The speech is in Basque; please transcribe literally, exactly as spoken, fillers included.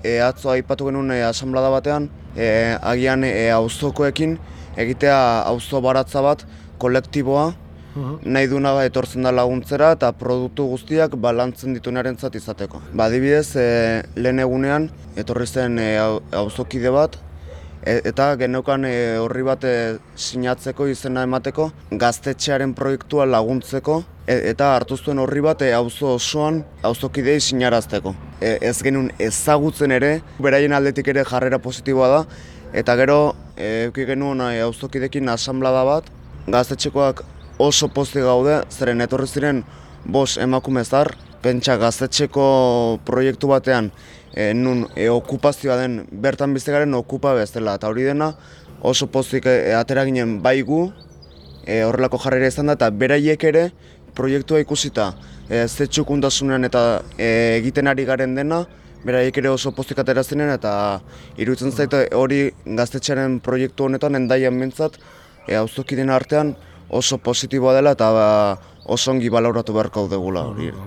E, atzo aipatu genuen e, asamblada batean, e, agian e, auzokoekin egitea auzo baratza bat, kolektiboa, nahi duna etortzen da laguntzera eta produktu guztiak balantzen dituenarentzat izateko. Ba, adibidez, e, lehen egunean etorri zen e, auzokide bat, e, eta geneukan e, horri bat e, sinatzeko, izena emateko, gaztetxearen proiektua laguntzeko, e, eta hartu zuen horri bat e, auzo osoan auzokidei sinarazteko. E, ez genuen ezagutzen ere, beraien aldetik ere jarrera positiboa da, eta gero e, euki genuen e, auzokidekin asamblada bat, gaztetxekoak oso pozik gaude, zeren etorri ziren bost emakume zahar, pentsa gaztetxeko proiektu batean e, nun e, okupazioa den bertan bizigaren okupa bezala, eta hori dena oso pozik e, atera ginen bai gu, e, horrelako jarrera izan da, eta beraiek ere proiektua ikusita e, ze txukundasunean eta e, egiten ari garen dena, beraiek ere oso pozik atera ziren, eta iruditzen zaite hori gaztetxearen proiektu honetan endaian bintzat, e, auzokideen artean oso positiboa dela eta ba, oso ongi baloratu beharko dugula hori.